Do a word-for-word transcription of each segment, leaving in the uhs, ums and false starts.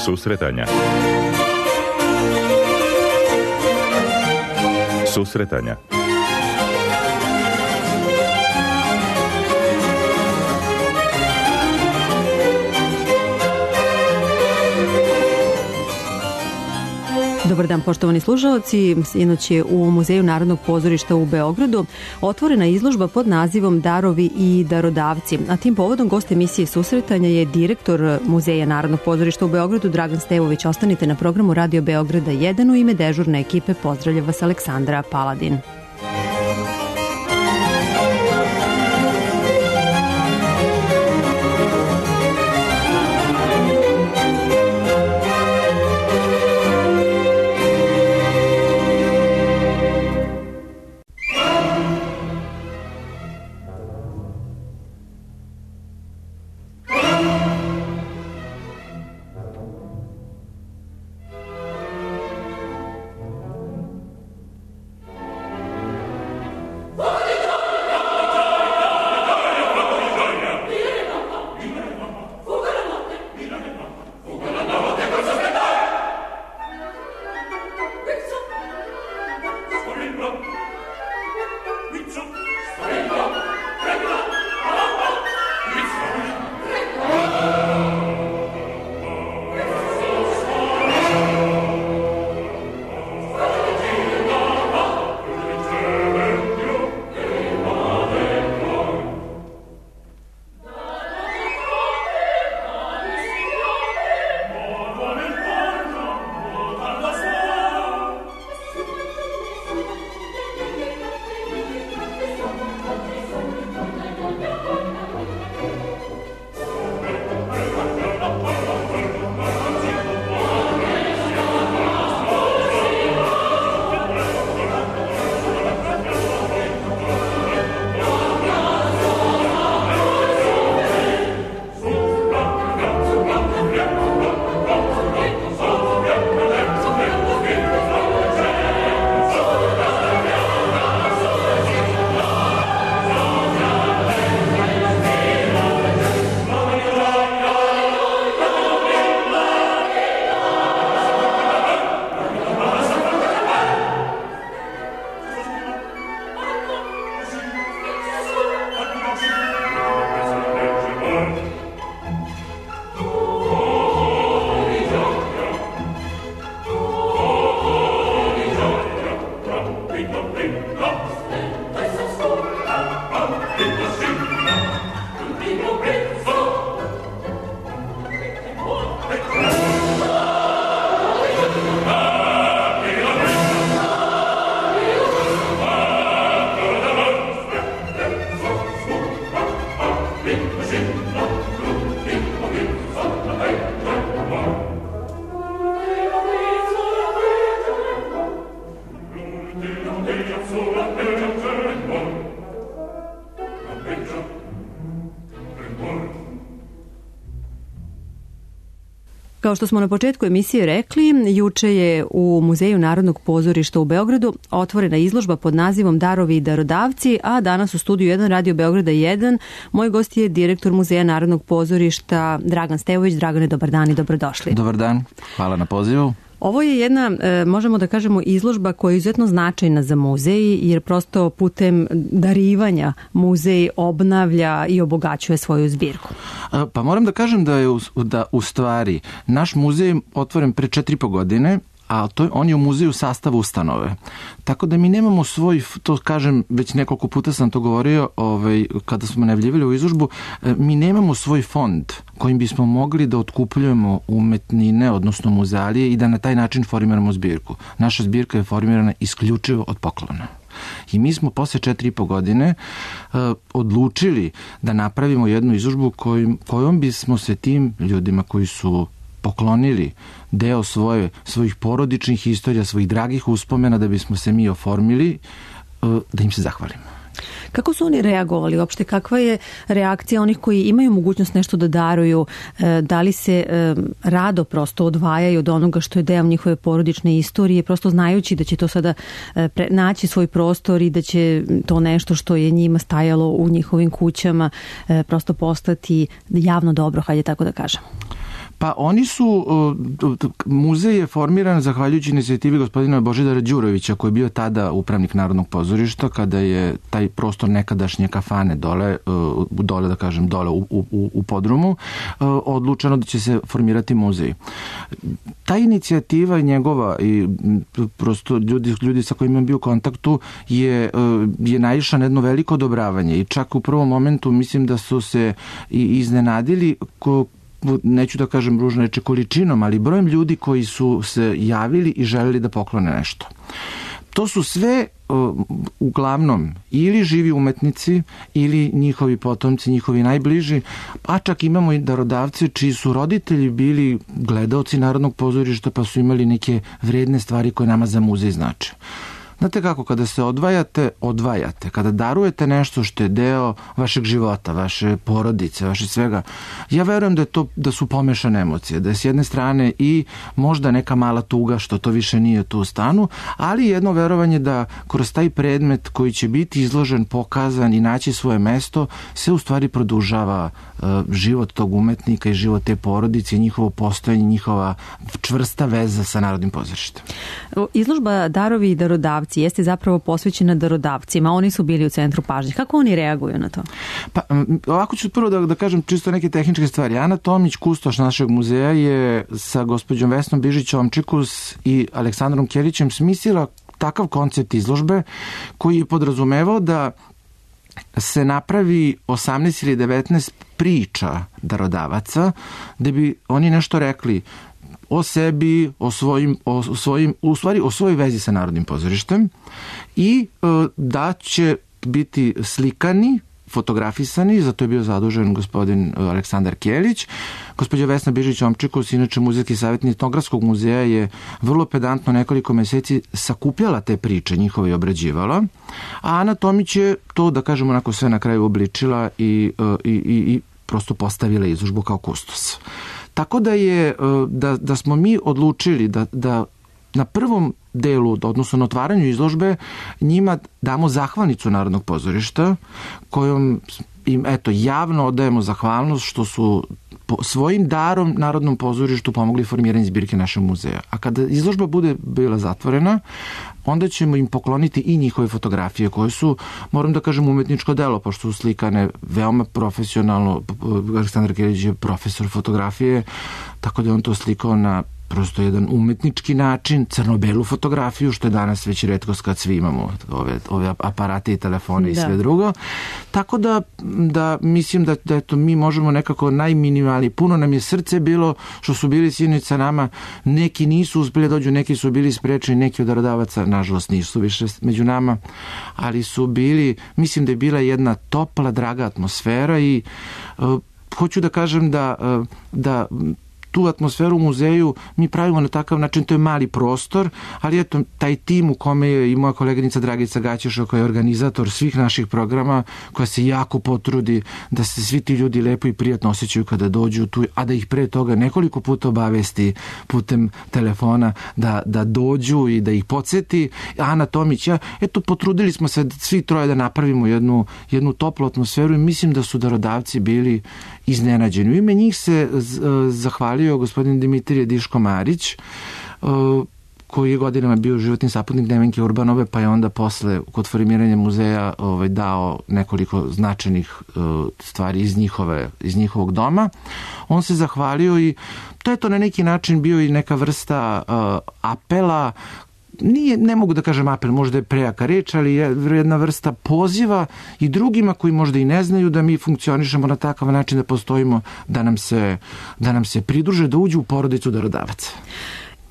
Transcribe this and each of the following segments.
Susretanja. Susretanja. Dobar dan, poštovani slušaoci. Sinoć je u Muzeju Narodnog pozorišta u Beogradu otvorena izložba pod nazivom Darovi i darodavci. A tim povodom gost emisije Susretanja je direktor Muzeja Narodnog pozorišta u Beogradu Dragan Stevović. Ostanite na programu Radio Beograda jedan. U ime dežurne ekipe pozdravlja vas Aleksandra Paladin. Kao što smo na početku emisije rekli, juče je u Muzeju Narodnog pozorišta u Beogradu otvorena izložba pod nazivom Darovi i darodavci, a danas u studiju jedan Radio Beograda jedan moj gost je direktor Muzeja Narodnog pozorišta Dragan Stevović. Dragane, dobar dan i dobrodošli. Dobar dan, hvala na pozivu. Ovo je jedna, možemo da kažemo, izložba koja je izuzetno značajna za muzej, jer prosto putem darivanja muzej obnavlja i obogaćuje svoju zbirku. Pa moram da kažem da je u, da u stvari naš muzej otvoren pre četiri i po godine, a to, on je u muzeju sastavu ustanove. Tako da mi nemamo svoj, to kažem, već nekoliko puta sam to govorio, ovaj, kada smo najavljivali u izložbu, mi nemamo svoj fond kojim bismo mogli da otkupljujemo umetnine, odnosno muzealije i da na taj način formiramo zbirku. Naša zbirka je formirana isključivo od poklona. I mi smo posle četiri i po godine uh, odlučili da napravimo jednu izložbu kojim, kojom bismo se tim ljudima koji su poklonili deo svoje, svojih porodičnih istorija, svojih dragih uspomena, da bismo se mi oformili, da im se zahvalimo. Kako su oni reagovali uopšte? Kakva je reakcija onih koji imaju mogućnost nešto da daruju? Da li se rado prosto odvajaju od onoga što je deo njihove porodične istorije, prosto znajući da će to sada naći svoj prostor i da će to nešto što je njima stajalo u njihovim kućama prosto postati javno dobro, hajde tako da kažem? Pa oni su, muzej je formiran zahvaljujući inicijativi gospodina Božidara Đurovića, koji je bio tada upravnik Narodnog pozorišta, kada je taj prostor nekadašnje kafane dole, dole da kažem, dole u, u, u podrumu, odlučeno da će se formirati muzej. Ta inicijativa njegova i prosto ljudi, ljudi sa kojima je bio u kontaktu je, je naišla na jedno veliko odobravanje i čak u prvom momentu mislim da su se i iznenadili ko, neću da kažem ružne reči količinom, ali brojem ljudi koji su se javili i želeli da poklone nešto. To su sve uglavnom ili živi umetnici ili njihovi potomci, njihovi najbliži, a čak imamo i darodavce čiji su roditelji bili gledaoci Narodnog pozorišta pa su imali neke vredne stvari koje nama za muzej znače. Znate kako, kada se odvajate, odvajate. Kada darujete nešto što je deo vašeg života, vaše porodice, vaše svega, ja verujem da je to, da su pomešane emocije, da je s jedne strane i možda neka mala tuga što to više nije tu u stanu, ali jedno verovanje da kroz taj predmet koji će biti izložen, pokazan i naći svoje mesto, se u stvari produžava uh, život tog umetnika i život te porodice i njihovo postojanje, njihova čvrsta veza sa Narodnim pozorištem. Izložba Darovi i darodavci jeste zapravo posvećena darodavcima. Oni su bili u centru pažnje. Kako oni reaguju na to? Pa, ovako ću prvo da, da kažem čisto neke tehničke stvari. Ana Tomić, kustoš našeg muzeja, je sa gospođom Vesnom Bižić-Omčikus i Aleksandrom Kjerićem smislila takav koncept izložbe koji je podrazumevao da se napravi osamnaest ili devetnaest priča darodavaca, da bi oni nešto rekli o sebi, o svojim, o svojim, u stvari o svojoj vezi sa Narodnim pozorištem i e, da će biti slikani, fotografisani, zato je bio zadužen gospodin Aleksandar Kjelić. Gospođa Vesna Bižić-Omčikus, inače muzejski savjetnik Etnografskog muzeja, je vrlo pedantno nekoliko meseci sakupljala te priče, njihove i obrađivala, a Ana Tomić je to, da kažemo, onako sve na kraju obličila i, i, i, i prosto postavila izložbu kao kustos. Tako da je, da, da smo mi odlučili da, da na prvom delu, odnosno na otvaranju izložbe, njima damo zahvalnicu Narodnog pozorišta, kojom im, eto, javno odajemo zahvalnost što su svojim darom Narodnom pozorištu pomogli formiranje zbirke našeg muzeja. A kada izložba bude bila zatvorena, onda ćemo im pokloniti i njihove fotografije koje su, moram da kažem, umetničko delo, pošto su slikane veoma profesionalno. Aleksandar Kjelić je profesor fotografije, tako da je on to slikao na prosto jedan umetnički način, crno-belu fotografiju, što je danas već retkost kad svi imamo ove, ove aparate i telefone i da. Sve drugo. Tako da, da mislim da, da eto, mi možemo nekako najminimalniji. Puno nam je srce bilo što su bili sinoć sa nama. Neki nisu uspeli dođu, neki su bili sprečeni, neki od darodavaca, nažalost, nisu više među nama, ali su bili, mislim da je bila jedna topla, draga atmosfera i uh, hoću da kažem da, uh, da tu atmosferu u muzeju mi pravimo na takav način, to je mali prostor, ali eto, taj tim u kome je i moja koleginica Dragica Gaćeša, koja je organizator svih naših programa, koja se jako potrudi da se svi ti ljudi lepo i prijatno osjećaju kada dođu tu, a da ih pre toga nekoliko puta obavesti putem telefona da, da dođu i da ih podsjeti. Ana Tomić, ja, eto, potrudili smo se svi troje da napravimo jednu, jednu toplu atmosferu i mislim da su darodavci bili iznenađeni. U ime njih se zahvalio gospodin Dimitrije Diško-Marić, koji je godinama bio životni saputnik Nevenke Urbanove, pa je onda posle kod formiranja muzeja ovaj, dao nekoliko značajnih stvari iz, njihove, iz njihovog doma. On se zahvalio i to je to na neki način bio i neka vrsta uh, apela. Nije, ne mogu da kažem apel, možda je prejaka reč, ali je jedna vrsta poziva i drugima koji možda i ne znaju da mi funkcionišemo na takav način da postojimo, da nam se, da nam se pridruže, da uđu u porodicu darodavaca.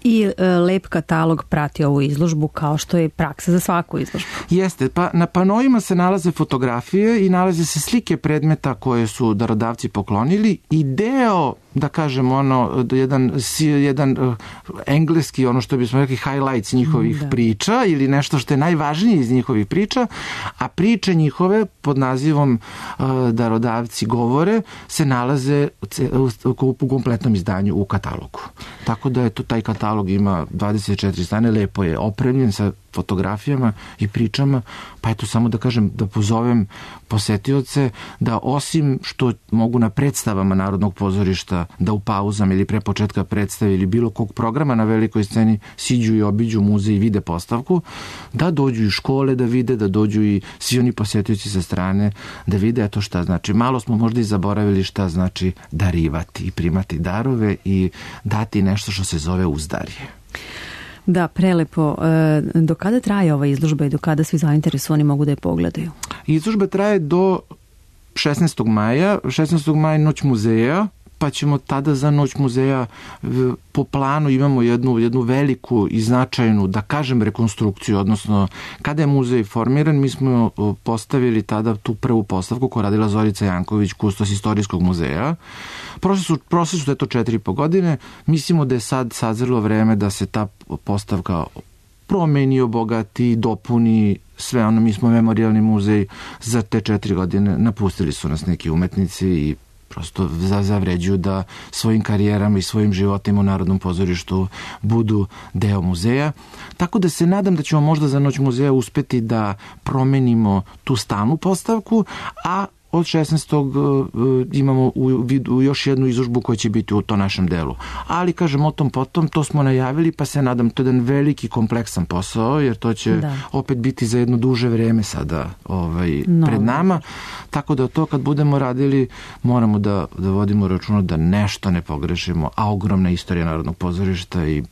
I e, lep katalog prati ovu izložbu, kao što je praksa za svaku izložbu. Jeste, pa na panoima se nalaze fotografije i nalaze se slike predmeta koje su darodavci poklonili i deo, da kažem, ono, jedan, jedan uh, engleski, ono što bismo rekli, highlights njihovih da. priča ili nešto što je najvažnije iz njihovih priča, a priče njihove pod nazivom uh, Darodavci govore se nalaze u, u, u kompletnom izdanju u katalogu. Tako da je to, taj katalog ima dvadeset četiri strane, lepo je opremljen sa fotografijama i pričama, pa eto samo da kažem, da pozovem posetioce da osim što mogu na predstavama Narodnog pozorišta da u pauzama ili pre početka predstave ili bilo kog programa na velikoj sceni siđu i obiđu muzej i vide postavku, da dođu i škole da vide, da dođu i svi oni posetioci sa strane da vide eto šta znači. Malo smo možda i zaboravili šta znači darivati i primati darove i dati nešto što se zove uzdarje. Da, prelepo. Do kada traje ova izložba i do kada svi zainteresovani mogu da je pogledaju? Izložba traje do šesnaestog maja. šesnaestog maja Noć muzeja, pa ćemo tada za Noć muzeja po planu imamo jednu, jednu veliku i značajnu, da kažem, rekonstrukciju, odnosno kada je muzej formiran, mi smo postavili tada tu prvu postavku koju radila Zorica Janković, kustos istorijskog muzeja. Prošle su, prošle su to četiri i po godine, mislimo da je sad sazrelo vreme da se ta postavka promeni, obogati, dopuni, sve ono. Mi smo memorijalni muzej za te četiri godine, napustili su nas neki umetnici i prosto zavređuju da svojim karijerama i svojim životima u Narodnom pozorištu budu deo muzeja. Tako da se nadam da ćemo možda za Noć muzeja uspeti da promenimo tu stalnu postavku, a od šesnaestog imamo u vidu još jednu izložbu koja će biti u to našem delu. Ali, kažem, o tom potom, to smo najavili, pa se nadam, to je jedan veliki kompleksan posao, jer to će da. opet biti za jedno duže vreme sada ovaj, no. pred nama. Tako da to kad budemo radili, moramo da, da vodimo računa da nešto ne pogrešimo, a ogromna istorija Narodnog pozorišta i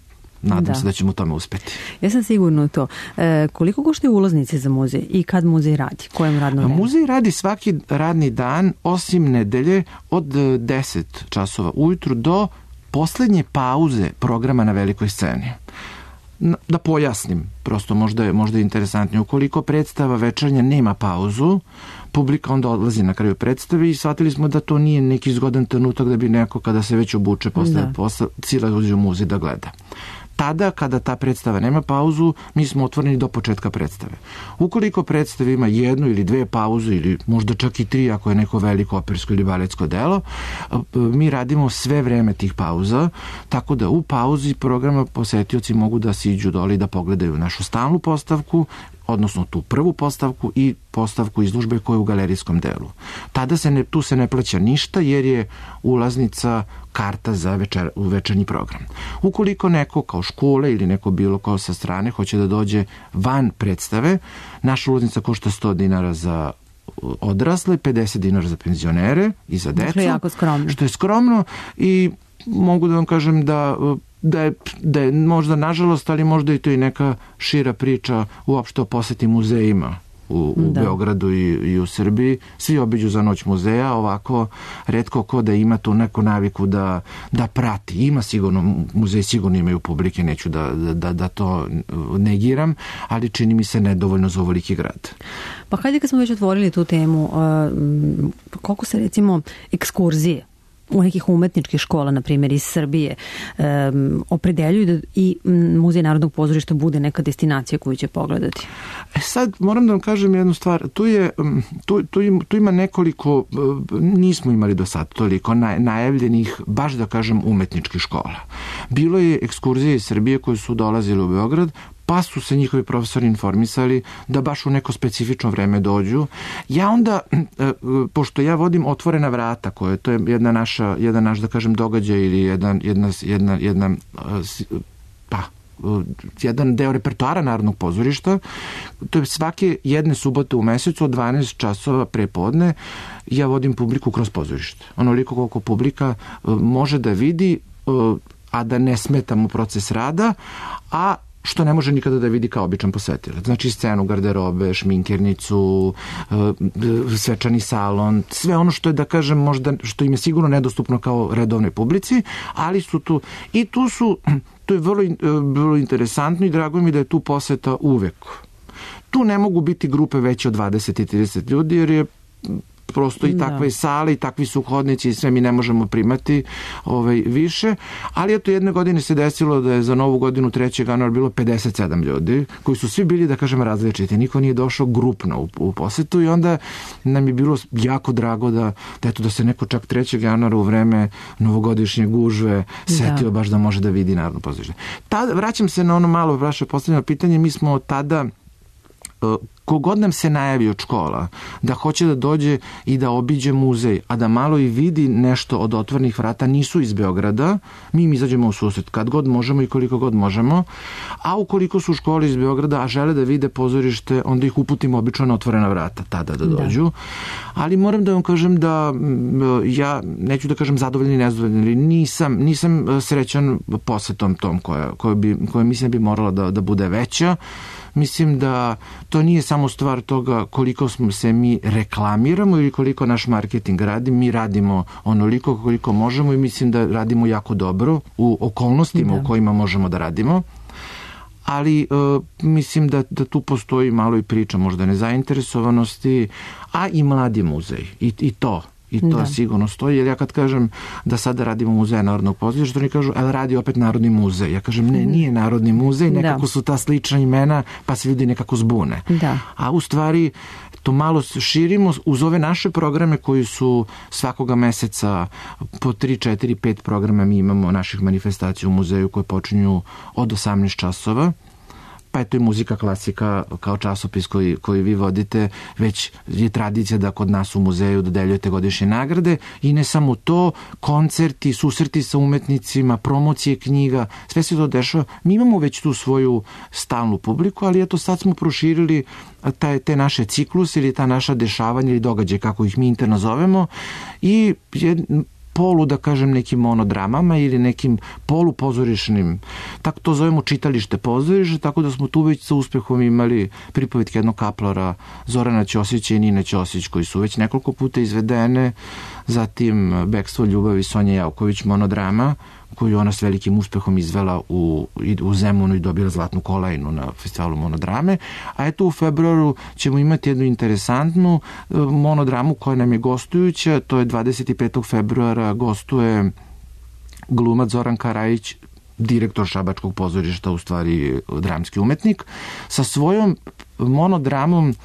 nadam da. se da ćemo u tome uspeti. Ja sam sigurno u to. E, koliko koštaju ulaznice za muzej i kad muzej radi? Kojem radno vreme? Muzej radi svaki radni dan, osim nedelje, od deset časova ujutru do poslednje pauze programa na velikoj sceni. Da pojasnim, prosto možda je, možda je interesantnije. Ukoliko predstava večernja nema pauzu, publika onda odlazi na kraju predstave i shvatili smo da to nije neki zgodan trenutak da bi neko kada se već obuče posle posla cijela uđe u muzej da gleda. Tada, kada ta predstava nema pauzu, mi smo otvoreni do početka predstave. Ukoliko predstava ima jednu ili dve pauze ili možda čak i tri ako je neko veliko opersko ili baletsko delo, mi radimo sve vreme tih pauza, tako da u pauzi programa posetioci mogu da siđu dole i da pogledaju našu stalnu postavku, odnosno tu prvu postavku i postavku izložbe koja je u galerijskom delu. Tada se ne, tu se ne plaća ništa jer je ulaznica karta za večer, večernji program. Ukoliko neko kao škole ili neko bilo kao sa strane hoće da dođe van predstave, naša ulaznica košta sto dinara za odrasle, pedeset dinara za penzionere i za decu. Što je jako skromno. Što je skromno i mogu da vam kažem da Da je, da je možda nažalost, ali možda i to i neka šira priča uopšte o poseti muzejima u, u Beogradu i, i u Srbiji. Svi obiđu za Noć muzeja, ovako retko ko da ima tu neku naviku da, da prati. Ima sigurno, muzeji sigurno imaju publike, neću da, da, da to negiram, ali čini mi se nedovoljno za ovoliki grad. Pa hajde kad smo već otvorili tu temu, koliko se recimo ekskurzije u nekih umetničkih škola, na primjer iz Srbije, um, opredeljuju da i Muzej Narodnog pozorišta bude neka destinacija koju će pogledati? E sad, moram da vam kažem jednu stvar. Tu, je, tu, tu, ima, tu ima nekoliko, nismo imali do sad toliko naj, najavljenih, baš da kažem, umetničkih škola. Bilo je ekskurzije iz Srbije koje su dolazile u Beograd, pa su se njihovi profesori informisali da baš u neko specifično vreme dođu. Ja onda, pošto ja vodim Otvorena vrata, koje to je jedna naša, jedan naš, da kažem, događaj ili jedan, jedna, jedna, jedna, pa, jedan deo repertoara Narodnog pozorišta, to je svake jedne subote u mesecu od dvanaest časova pre podne, ja vodim publiku kroz pozorište. Onoliko koliko publika može da vidi, a da ne smetamo proces rada, a što ne može nikada da vidi kao običan posetilac. Znači scenu, garderobe, šminkernicu, svečani salon, sve ono što je, da kažem, možda, što im je sigurno nedostupno kao redovnoj publici, ali su tu, i tu su, to je vrlo, vrlo interesantno i drago mi da je tu poseta uvek. Tu ne mogu biti grupe veće od dvadeset i trideset ljudi, jer je prosto i takve sale i takvi su hodnici i sve mi ne možemo primati ovaj, više, ali eto jedne godine se desilo da je za Novu godinu trećeg januara bilo pedeset sedam ljudi koji su svi bili, da kažem, različiti. Niko nije došao grupno u, u posetu i onda nam je bilo jako drago da, da, eto, da se neko čak trećeg januara u vreme novogodišnje gužve setio da. baš da može da vidi Narodno pozorište. Tada, vraćam se na ono malo vaše postavljeno pitanje, mi smo tada kogod nam se najavi od škola da hoće da dođe i da obiđe muzej, a da malo i vidi nešto od otvorenih vrata, nisu iz Beograda, mi im izađemo u susret kad god možemo i koliko god možemo, a ukoliko su u školi iz Beograda, a žele da vide pozorište, onda ih uputimo obično na otvorena vrata, tada da dođu. Da. Ali moram da vam kažem da ja, neću da kažem zadovoljni i nezadovoljni, nisam, nisam srećan posetom tom koja, koja, bi, koja mislim bi morala da, da bude veća. Mislim da to nije samo stvar toga koliko smo se mi reklamiramo ili koliko naš marketing radi. Mi radimo onoliko koliko možemo i mislim da radimo jako dobro u okolnostima da. u kojima možemo da radimo. Ali uh, mislim da, da tu postoji malo i priča možda nezainteresovanosti, a i mladi muzej. I, i to. I to da. sigurno stoji, jer ja kad kažem da sada radimo muzej Narodnog pozorišta, oni kažu, ali radi opet Narodni muzej. Ja kažem, ne, nije Narodni muzej, nekako da. su ta slična imena, pa se ljudi nekako zbune. Da. A u stvari, to malo širimo uz ove naše programe koji su svakoga meseca po tri, četiri, pet programa mi imamo naših manifestacija u muzeju koje počinju od osamnaest časova. Pa je to i muzika klasika kao časopis koji, koji vi vodite, već je tradicija da kod nas u muzeju dodeljujete godišnje nagrade i ne samo to, koncerti, susreti sa umetnicima, promocije knjiga, sve se to dešava. Mi imamo već tu svoju stalnu publiku, ali eto sad smo proširili taj, te naše ciklus ili ta naša dešavanja ili događaje, kako ih mi interno zovemo, i je polu, da kažem, nekim monodramama ili nekim polupozorišnim, tako to zovemo čitalište pozorište, tako da smo tu već sa uspehom imali pripovetke jednog kaplora Zorana Ćosića i Nine Ćosić, koji su već nekoliko puta izvedene, zatim Bekstvo ljubavi Sonje Javković, monodrama, koju ona s velikim uspehom izvela u, u Zemunu i dobila zlatnu kolajnu na festivalu monodrame. A eto u februaru ćemo imati jednu interesantnu monodramu koja nam je gostujuća, to je dvadeset petog februara gostuje glumac Zoran Karajić, direktor Šabačkog pozorišta, u stvari dramski umetnik, sa svojom monodramom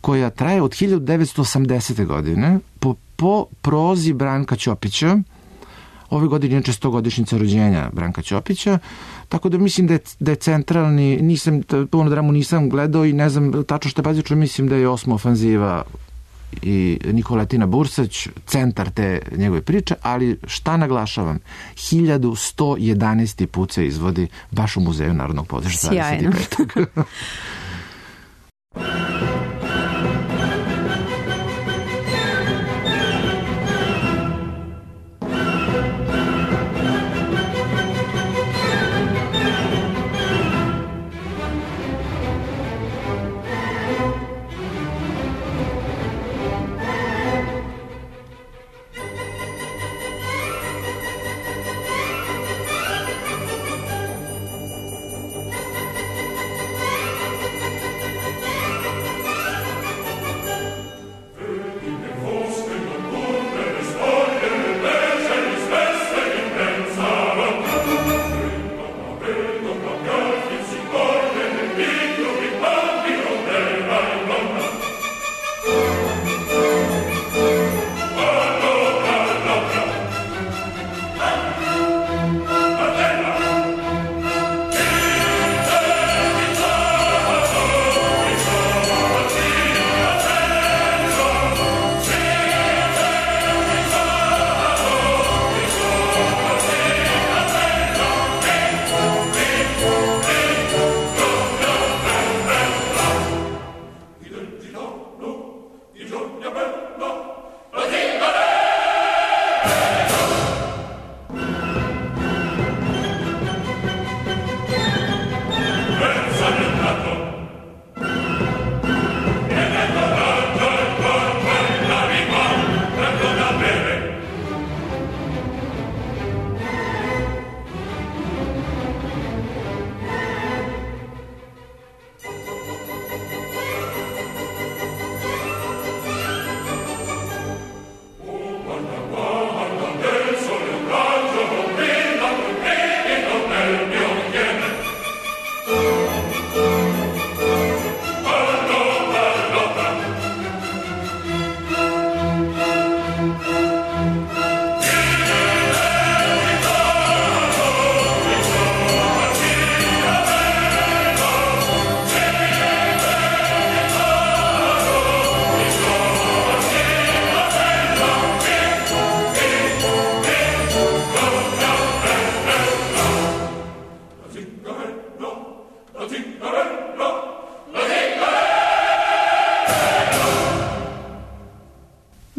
koja traje od hiljadu devetsto osamdesete. godine po, po prozi Branka Ćopića. Ove godine je stogodišnjica rođenja Branka Ćopića, tako da mislim da je, da je centralni, nisam, monodramu nisam gledao i ne znam tačno što je bazično, mislim da je Osma ofanziva i Nikoletina Bursać centar te njegove priče, ali šta naglašavam, hiljadu sto jedanaesti put se izvodi baš u Muzeju Narodnog pozorišta. Sjajno.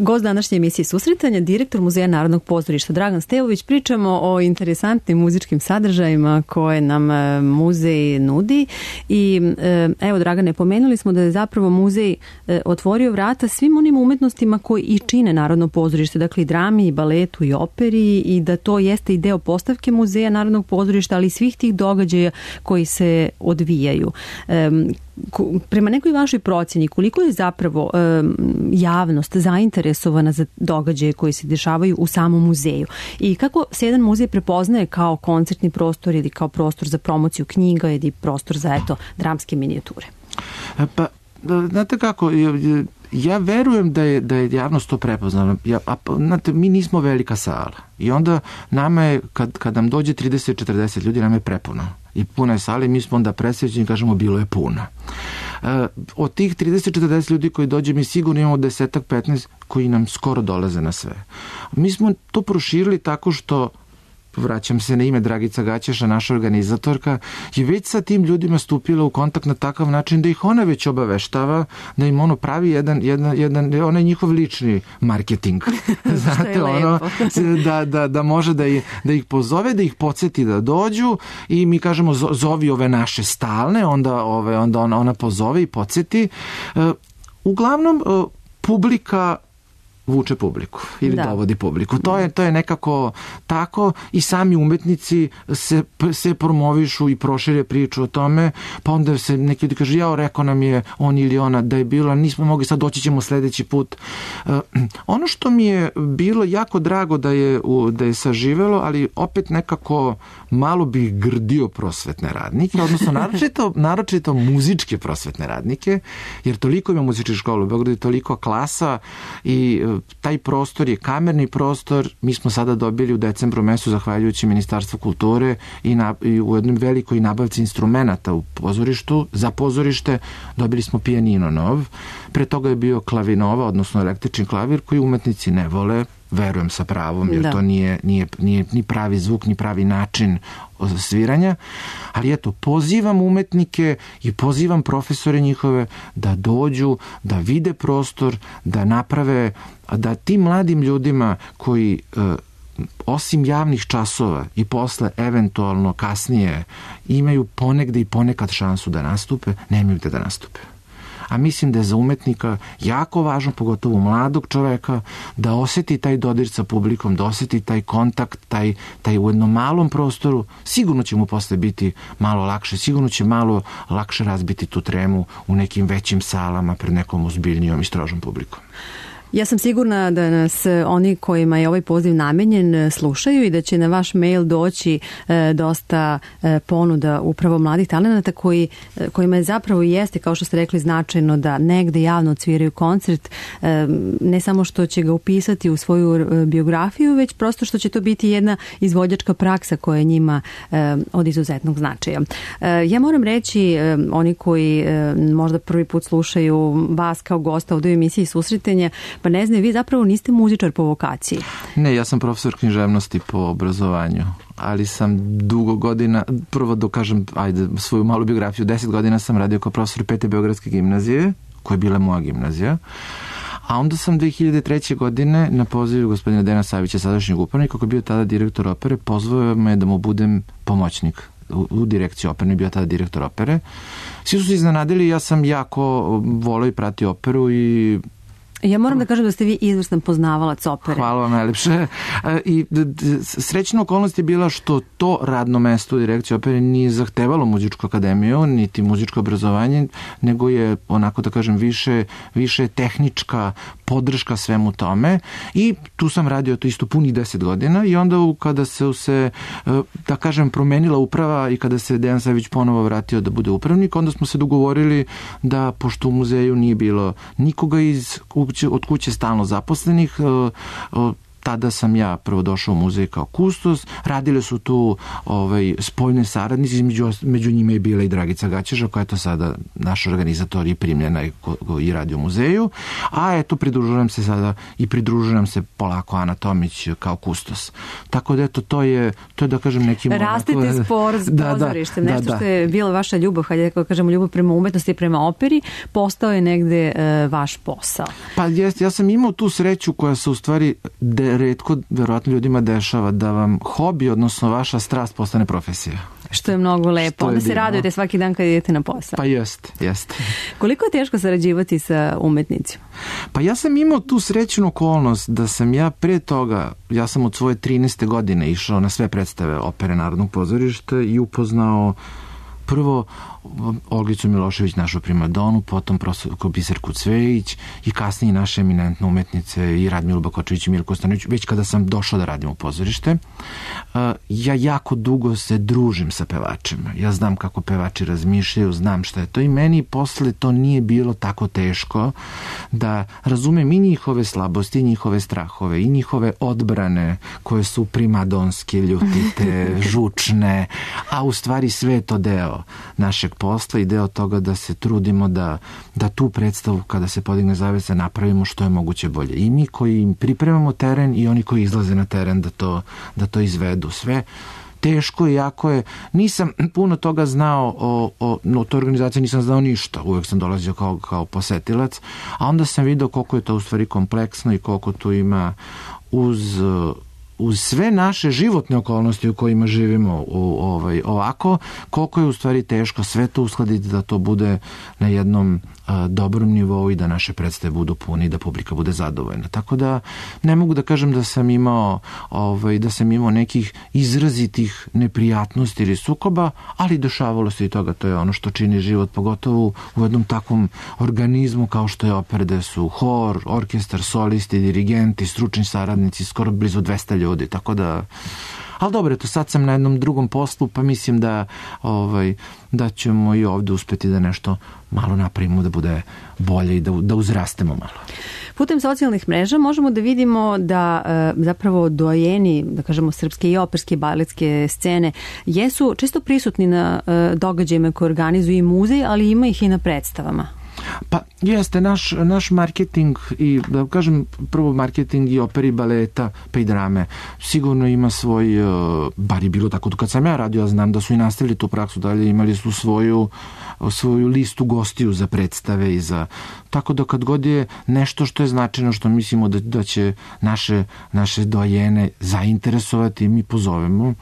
Gost današnje emisije Susretanja, direktor Muzeja Narodnog pozorišta Dragan Stevović. Pričamo o interesantnim muzičkim sadržajima koje nam muzej nudi i evo, Dragane, pomenuli smo da je zapravo muzej otvorio vrata svim onim umetnostima koji i čine Narodno pozorište, dakle i drami, i baletu, i operi, i da to jeste i deo postavke Muzeja Narodnog pozorišta, ali i svih tih događaja koji se odvijaju. Prema nekoj vašoj procjeni, koliko je zapravo javnost zainteresovana za događaje koji se dešavaju u samom muzeju i kako se jedan muzej prepoznaje kao koncertni prostor ili kao prostor za promociju knjiga ili prostor za, eto, dramske minijature? Pa, znate kako, ja verujem da je, da je javnost to prepoznala. Ja, a, znate, mi nismo velika sala i onda nama je, kad, kad nam dođe trideset četrdeset ljudi, nam je prepuno. I puna je sala i mi smo onda presrećeni i kažemo bilo je puno. E, od tih trideset četrdeset ljudi koji dođe, mi sigurno imamo desetak petnaest koji nam skoro dolaze na sve. Mi smo to proširili tako što, vraćam se na ime, Dragica Gaćeša, naša organizatorka, je već sa tim ljudima stupila u kontakt na takav način da ih ona već obaveštava, da im ono pravi jedan, jedan, jedan onaj njihov lični marketing. Znate, ono, da, da, da može da ih, da ih pozove, da ih podsjeti da dođu i mi kažemo zovi ove naše stalne, onda, ove, onda ona, ona pozove i podsjeti. Uglavnom, publika vuče publiku ili da. dovodi publiku. To je, to je nekako tako i sami umetnici se, se promovišu i prošire priču o tome, pa onda se neki ljudi kaže, jao, rekao nam je on ili ona da je bilo, nismo mogli, sad doći ćemo sledeći put. Uh, ono što mi je bilo jako drago da je, da je saživelo, ali opet nekako malo bih grdio prosvetne radnike, odnosno naročito, naročito muzičke prosvetne radnike, jer toliko ima muzičkih škola u Beogradu, toliko klasa i taj prostor je kamerni prostor. Mi smo sada dobili u decembru mesecu, zahvaljujući Ministarstvu kulture i, na, i u jednom velikoj nabavci instrumenata u pozorištu, za pozorište dobili smo pijanino nov. Pre toga je bio klavinova, odnosno električni klavir koji umetnici ne vole, verujem sa pravom, jer da. to nije, nije, nije ni pravi zvuk, ni pravi način sviranja, ali eto, pozivam umetnike i pozivam profesore njihove da dođu, da vide prostor, da naprave, da tim mladim ljudima koji osim javnih časova i posle eventualno kasnije imaju ponegde i ponekad šansu da nastupe, nemaju gde da nastupe. A mislim da je za umetnika jako važno, pogotovo mladog čoveka, da oseti taj dodir sa publikom, da oseti taj kontakt, taj, taj u jednom malom prostoru. Sigurno će mu posle biti malo lakše, sigurno će malo lakše razbiti tu tremu u nekim većim salama pred nekom ozbiljnijom i strožom publikom. Ja sam sigurna da nas oni kojima je ovaj poziv namenjen slušaju i da će na vaš mail doći e, dosta e, ponuda upravo mladih talenata koji, e, kojima je zapravo i jeste, kao što ste rekli, značajno da negde javno odsviraju koncert, e, ne samo što će ga upisati u svoju e, biografiju, već prosto što će to biti jedna izvođačka praksa koja je njima e, od izuzetnog značaja. E, ja moram reći, e, oni koji e, možda prvi put slušaju vas kao gosta ovdje u emisiji Susretanja, pa ne znam, vi zapravo niste muzičar po vokaciji. Ne, ja sam profesor književnosti po obrazovanju, ali sam dugo godina, prvo da kažem, ajde, svoju malu biografiju, deset godina sam radio kao profesor Pete Beogradske gimnazije, koja je bila moja gimnazija, a onda sam dve hiljade treće. godine na pozivu gospodina Dejana Savića, sadašnjeg upravnika, kako je bio tada direktor opere, pozvao me da mu budem pomoćnik u, u direkciji opere, je bio tada direktor opere. Svi su se iznenadili, ja sam jako voleo i pratio operu i ja moram da kažem da ste vi izvrstan poznavalac opere. Hvala vam najlepše. I srećna okolnost je bila što to radno mesto u direkciji opere nije zahtevalo muzičku akademiju, niti muzičko obrazovanje, nego je, onako da kažem, više, više tehnička podrška svemu tome. I tu sam radio to isto punih deset godina i onda kada se, se da kažem, promenila uprava i kada se Dejan Savić ponovo vratio da bude upravnik, onda smo se dogovorili da, pošto u muzeju nije bilo nikoga iz od kuće stalno zaposlenih, tada sam ja prvo došao u muzej kao kustos, radile su tu ovaj, spoljne saradnici, među, među njima je bila i Dragica Gaćeža, koja je to sada naš organizator i primljena i, i radi u muzeju, a eto pridružujem se sada i pridružujem se polako Ana Tomić kao kustos. Tako da eto, to je, to je da kažem neki... Rastite spor s pozorištem, da, nešto da, što je bila vaša ljubav, hajde da kažemo ljubav prema umetnosti i prema operi, postao je negde e, vaš posao. Pa jest, ja sam imao tu sreću koja se u stvari de, retko, verovatno ljudima dešava, da vam hobi, odnosno vaša strast postane profesija. Što je mnogo lepo. Onda se radujete svaki dan kad idete na posao. Pa jest, jest. Koliko je teško sarađivati sa umetnicima? Pa ja sam imao tu srećnu okolnost da sam ja pre toga, ja sam od svoje trinaeste godine išao na sve predstave opere Narodnog pozorišta i upoznao prvo Olgicu Milošević, našu primadonu, potom profesorku Biserku Cvejić i kasnije naše eminentne umetnice i Radmilu Bakočević i Milku Stanović, već kada sam došao da radim u pozorište. Ja jako dugo se družim sa pevačima. Ja znam kako pevači razmišljaju, znam šta je to i meni posle to nije bilo tako teško da razumem i njihove slabosti, i njihove strahove, i njihove odbrane koje su primadonske, ljutite, žučne, a u stvari sve je to deo našeg posla i deo toga da se trudimo da, da tu predstavu kada se podigne zavesa napravimo što je moguće bolje. I mi koji im pripremamo teren i oni koji izlaze na teren da to, da to izvedu. Sve teško i jako je. Nisam puno toga znao o, o, o toj organizaciji, nisam znao ništa. Uvek sam dolazio kao, kao posetilac, a onda sam video koliko je to u stvari kompleksno i koliko tu ima uz... uz sve naše životne okolnosti u kojima živimo u, ovaj, ovako, koliko je u stvari teško sve to uskladiti da to bude na jednom a, dobrom nivou i da naše predstave budu puni i da publika bude zadovoljna. Tako da ne mogu da kažem da sam imao ovaj, da sam imao nekih izrazitih neprijatnosti ili sukoba, ali dešavalo se i toga, to je ono što čini život, pogotovo u jednom takvom organizmu kao što je opera, da su hor, orkestar, solisti, dirigenti, stručni saradnici, skoro blizu dvesta ljudi, tako da... Ali dobro, to sad sam na jednom drugom poslu, pa mislim da, ovaj, da ćemo i ovde uspeti da nešto malo napravimo, da bude bolje i da, da uzrastemo malo. Putem socijalnih mreža možemo da vidimo da e, zapravo dojeni, da kažemo, srpske i operske i baletske scene jesu često prisutni na e, događajima koje organizuju i muzej, ali ima ih i na predstavama. Pa jeste, naš, naš marketing i, da kažem, prvo marketing i operi, baleta, pa i drame, sigurno ima svoj, bar je bilo tako kad sam ja radio, ja znam da su i nastavili tu praksu dalje, imali su svoju, svoju listu gostiju za predstave i za, tako da kad god je nešto što je značajno, što mislimo da, da će naše, naše dojene zainteresovati, mi pozovemo.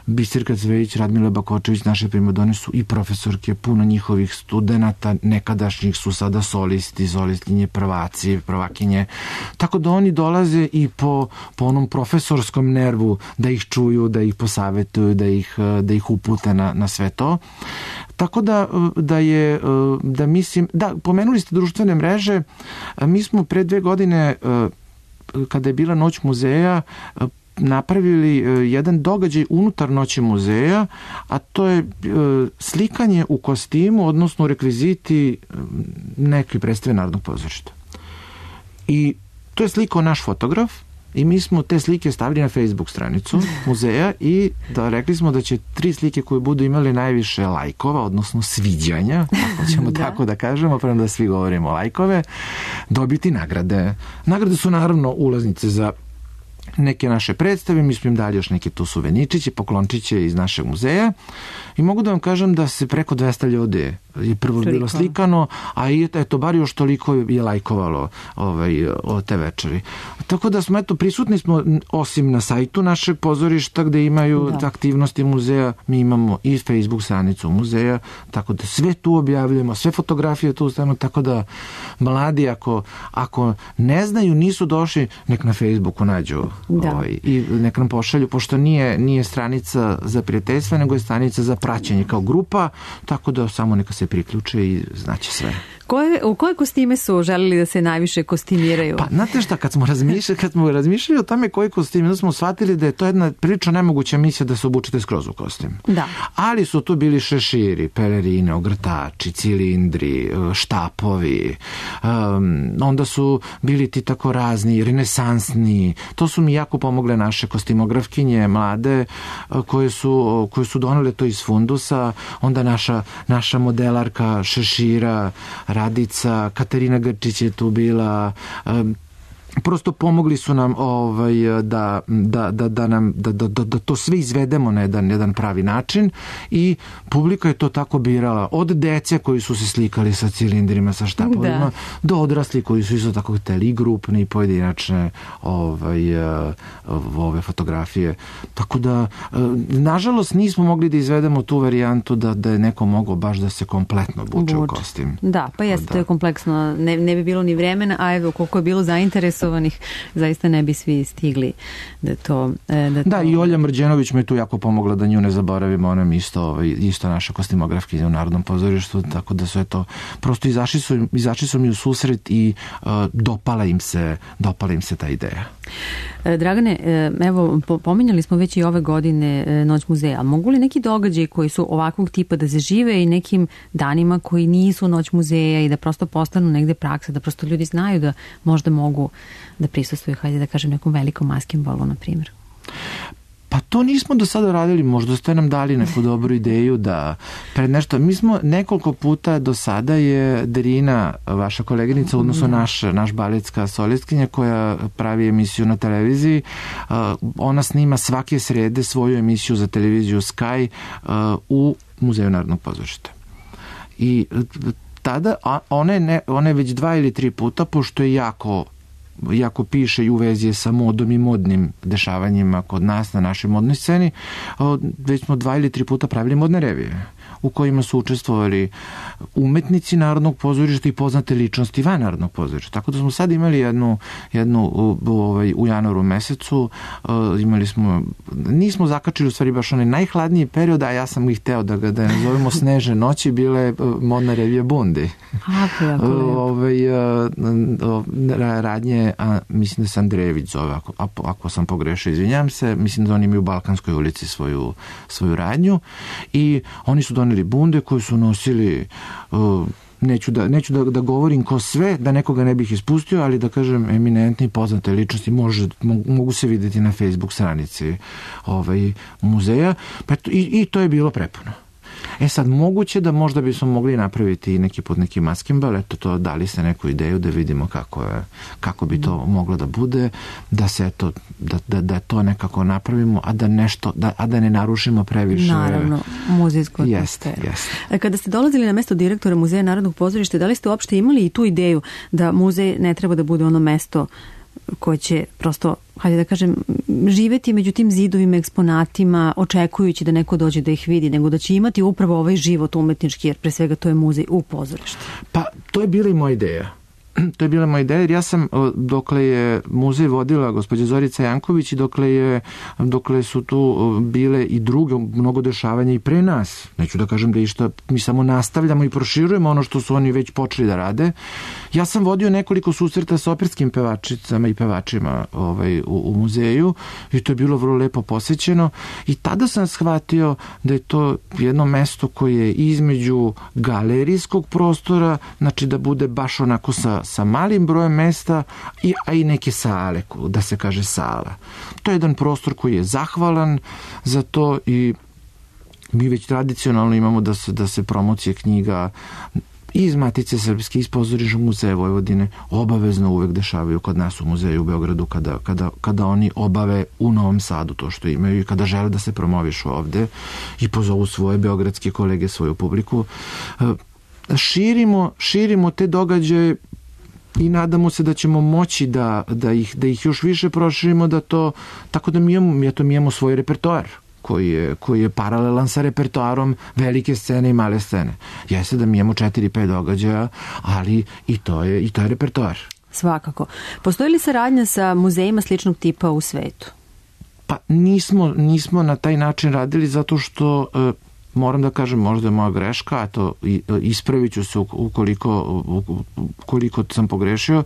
Biserka Cvejić, Radmila Bakočević, naše primadone su i profesorke, puno njihovih studenata, nekadašnjih su sada solisti, solistkinje, prvaci, prvakinje. Tako da oni dolaze i po, po onom profesorskom nervu da ih čuju, da ih posavetuju, da ih, da ih upute na, na sve to. Tako da, da je, da mislim, da, pomenuli ste društvene mreže, mi smo pre dve godine, kada je bila Noć muzeja, napravili jedan događaj unutar Noći muzeja, a to je slikanje u kostimu, odnosno u rekviziti neke predstave Narodnog pozorišta. I to je slikao naš fotograf i mi smo te slike stavili na Facebook stranicu muzeja i da rekli smo da će tri slike koje budu imali najviše lajkova, odnosno sviđanja, ako ćemo da. tako da kažemo, prema da svi govorimo lajkove, dobiti nagrade. Nagrade su naravno ulaznice za neke naše predstave, mi smo im dali još neke tu suveničiće, poklončiće iz našeg muzeja i mogu da vam kažem da se preko dvesta ljudi je prvo Toliko. bilo slikano, a i eto, bar još toliko je lajkovalo ovaj, o te večeri. Tako da smo, eto, prisutni smo osim na sajtu našeg pozorišta gde imaju da. aktivnosti muzeja, mi imamo i Facebook stranicu muzeja, tako da sve tu objavljujemo, sve fotografije tu stavimo, tako da mladi ako, ako ne znaju, nisu došli, nek na Facebooku nađu da. ovaj, i nek nam pošalju, pošto nije, nije stranica za prijateljstvo, nego je stranica za praćenje kao grupa, tako da samo neka se priključe i znaće sve. Koje, u koje kostime su želeli da se najviše kostimiraju? Pa, znate šta, kad smo razmišljali, kad smo razmišljali o tome koji kostime, da smo shvatili da je to jedna prilično nemoguća misija da se obučete skroz u kostim. Da. Ali su tu bili šeširi, pelerine, ogrtači, cilindri, štapovi, um, onda su bili ti tako razni, renesansni. To su mi jako pomogle naše kostimografkinje, mlade, koje su, koje su donele to iz fundusa, onda naša, naša modelarka šešira, Radica, Katarina Grčić je tu bila, um, prosto pomogli su nam ovaj, da, da, da, da, nam, da, da, da to sve izvedemo na jedan, jedan pravi način i publika je to tako birala. Od dece koji su se slikali sa cilindrima, sa štapovima, da. do odrasli koji su isto tako hteli i grupne i pojedinačne ovaj, ove fotografije. Tako da, nažalost, nismo mogli da izvedemo tu varijantu da, da je neko mogao baš da se kompletno obuče u kostim. Da, pa jeste, da. To je kompleksno. Ne, ne bi bilo ni vremena, a evo koliko je bilo zainteresovano, zaista ne bi svi stigli da to... Da, to... da i Olja Mrđenović me tu jako pomogla da nju ne zaboravimo, ona mi isto, isto naša kostimografkinja u Narodnom pozorištu, tako da su eto, prosto izašli su, izašli su mi u susret i uh, dopala im se, dopala im se ta ideja. Dragane, evo, pominjali smo već i ove godine Noć muzeja. Mogu li neki događaji koji su ovakvog tipa da se žive i nekim danima koji nisu Noć muzeja i da prosto postanu negde praksa, da prosto ljudi znaju da možda mogu da prisustvuju, hajde da kažem, nekom velikom maskembolu, na primjer? Pa to nismo do sada radili, možda ste nam dali neku dobru ideju da pred nešto, mi smo nekoliko puta do sada je Drina, vaša koleginica, odnosno naš, naš baletska solistkinja koja pravi emisiju na televiziji, ona snima svake srede svoju emisiju za televiziju Sky u Muzeju Narodnog pozorišta. I tada ona je, ne, ona je već dva ili tri puta, pošto je jako jako piše i u vezi je sa modom i modnim dešavanjima kod nas na našoj modnoj sceni, već smo dva ili tri puta pravili modne revije u kojima su učestvovali umetnici Narodnog pozorišta i poznate ličnosti van Narodnog pozorišta. Tako da smo sad imali jednu, jednu ovaj, u januaru mesecu, imali smo, nismo zakačili u stvari baš onaj najhladniji period, a ja sam ih hteo da ga da nazovemo Snežne noći, bile modna revija Bundi. Ovaj, radnje, a mislim da se Andrejević zove, ako, ako sam pogrešio, izvinjam se, mislim da oni imaju u Balkanskoj ulici svoju, svoju radnju i oni su doneli bunde koje su nosili, uh, neću, da, neću da, da govorim ko sve, da nekoga ne bih ispustio, ali da kažem eminentni poznate ličnosti može, mogu se vidjeti na Facebook stranici ovaj, muzeja, pa i, i to je bilo prepuno. E sad, moguće da možda bismo mogli napraviti neki pod neki maskembal, eto to, dali ste neku ideju da vidimo kako, je, kako bi to moglo da bude, da se eto, da, da, da to nekako napravimo, a da nešto, da, a da ne narušimo previše. Naravno, muzejsku atmosferu. Jeste, jeste. Kada ste dolazili na mesto direktora Muzeja Narodnog pozorišta, da li ste uopšte imali i tu ideju da muzej ne treba da bude ono mesto koje će prosto, hajde da kažem, živeti među tim zidovima, eksponatima, očekujući da neko dođe da ih vidi, nego da će imati upravo ovaj život umetnički, jer pre svega to je muzej u pozorištu? Pa, to je bila i moja ideja. To je bila moja ideja, jer ja sam, dokle je muzej vodila gospođa Zorica Janković i dokle, je, dokle su tu bile i druge mnogo dešavanja i pre nas, neću da kažem da išta, mi samo nastavljamo i proširujemo ono što su oni već počeli da rade. Ja sam vodio nekoliko susreta sa operskim pevačicama i pevačima ovaj, u, u muzeju i to je bilo vrlo lepo posećeno i tada sam shvatio da je to jedno mesto koje je između galerijskog prostora, znači da bude baš onako sa sa malim brojem mesta, i, a i neke sale, da se kaže sala. To je jedan prostor koji je zahvalan za to i mi već tradicionalno imamo da se, da se promocije knjiga iz Matice Srpske, iz Pozorišnog muzeja Vojvodine obavezno uvek dešavaju kod nas u muzeju u Beogradu kada, kada, kada oni obave u Novom Sadu to što imaju i kada žele da se promovišu ovde i pozovu svoje beogradske kolege, svoju publiku. Širimo, širimo te događaje i nadamo se da ćemo moći da, da, ih, da ih još više proširimo, da to, tako da mi imamo, mi, to, mi imamo svoj repertoar koji je, koji je paralelan sa repertoarom velike scene i male scene. Jeste da mi imamo četiri pet događaja, ali i to je, i to je repertoar. Svakako. Postoji li saradnja sa muzejima sličnog tipa u svetu? Pa nismo, nismo na taj način radili zato što moram da kažem, možda je moja greška, a to ispravit ću se ukoliko, ukoliko sam pogrešio,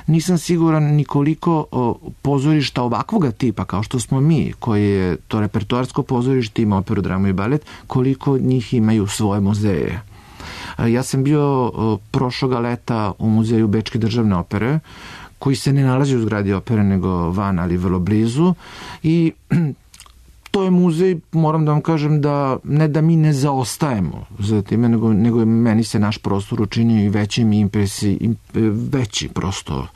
nisam siguran ni koliko pozorišta ovakvoga tipa, kao što smo mi, koji je to repertoarsko pozorište, ima operu, dramu i balet, koliko njih imaju svoje muzeje. Ja sam bio prošloga leta u muzeju Bečke državne opere, koji se ne nalazi u zgradi opere, nego van, ali vrlo blizu, i to je muzej, moram da vam kažem, da ne da mi ne zaostajemo za time, nego, nego meni se naš prostor učinio i većim impresi, im, veći prosto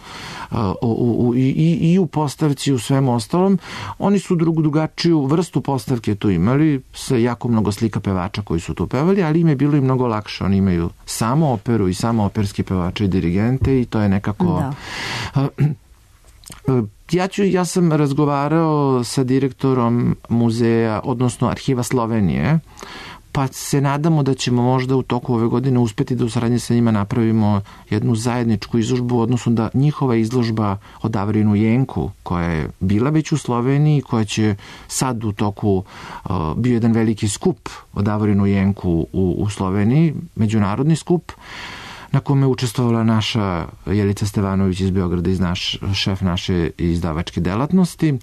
uh, u, u, i, i u postavci i u svemu ostalom. Oni su drugu drugačiju vrstu postavke tu imali, sa jako mnogo slika pevača koji su tu pevali, ali im je bilo i mnogo lakše. Oni imaju samo operu i samo operski pevače i dirigente i to je nekako... Da. Uh, Ja, ću, ja sam razgovarao sa direktorom muzeja, odnosno Arhiva Slovenije, pa se nadamo da ćemo možda u toku ove godine uspeti da u saradnji sa njima napravimo jednu zajedničku izložbu, odnosno da njihova izložba o Davorinu Jenku, koja je bila već u Sloveniji, koja će sad u toku, uh, bio jedan veliki skup o Davorinu Jenku u, u Sloveniji, međunarodni skup, na kome je učestvovala naša Jelica Stevanović iz Beograda, iz naš, šef naše izdavačke delatnosti.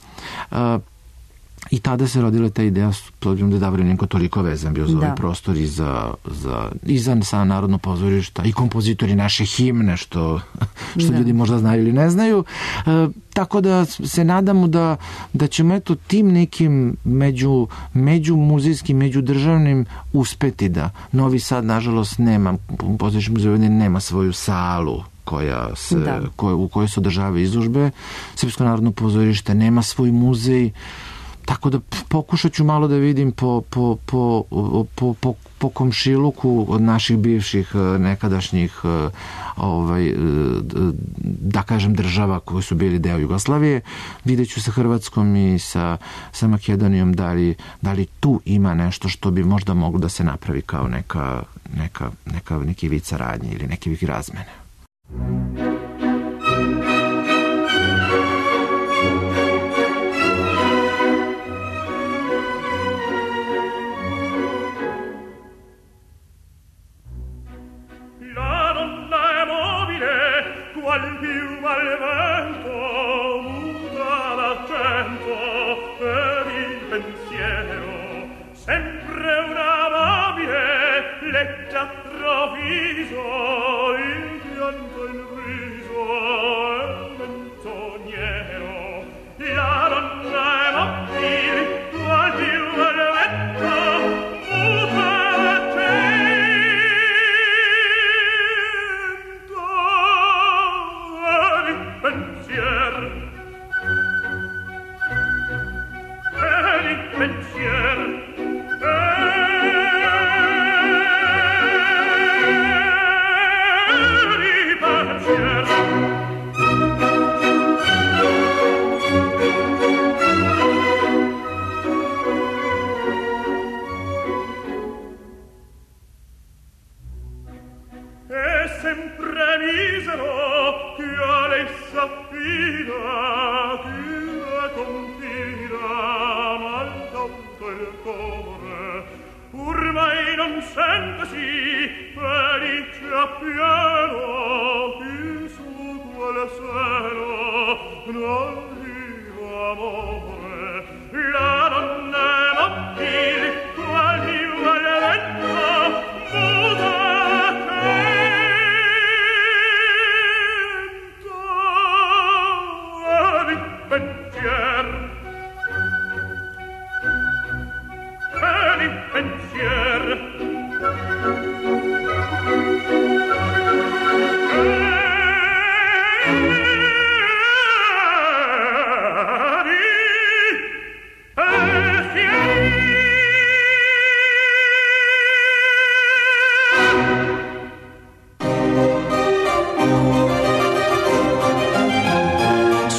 I tada se rodila ta ideja, s obzirom da je Davorin Jenko toliko vezan bio za da. ovaj prostor i za, za, i za sa Narodno pozorišta i kompozitori naše himne, što, što da. ljudi možda znaju ili ne znaju. E, tako da se nadamo da, da ćemo eto tim nekim među, među muzejskim, među državnim uspeti da Novi Sad, nažalost, nema, pozorišni muzej nema svoju salu koja se, da. koje, u kojoj se održavaju izložbe. Srpsko narodno pozorište nema svoj muzej. Tako da pokušat ću malo da vidim po, po, po, po, po, po komšiluku od naših bivših nekadašnjih ovaj, da kažem država koji su bili deo Jugoslavije. Vidjet ću sa Hrvatskom i sa, sa Makedonijom da li, da li tu ima nešto što bi možda moglo da se napravi kao neka, neka, neka, neki vid saradnje ili neki vid razmene.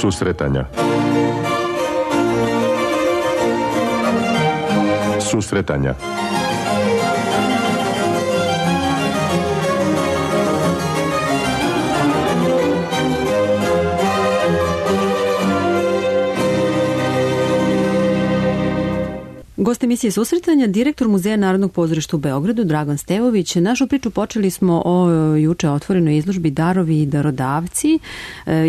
Susretanja. Susretanja. Gost emisije Susretanja, direktor Muzeja Narodnog pozorišta u Beogradu, Dragan Stevović. Našu priču počeli smo o juče otvorenoj izložbi Darovi i darodavci.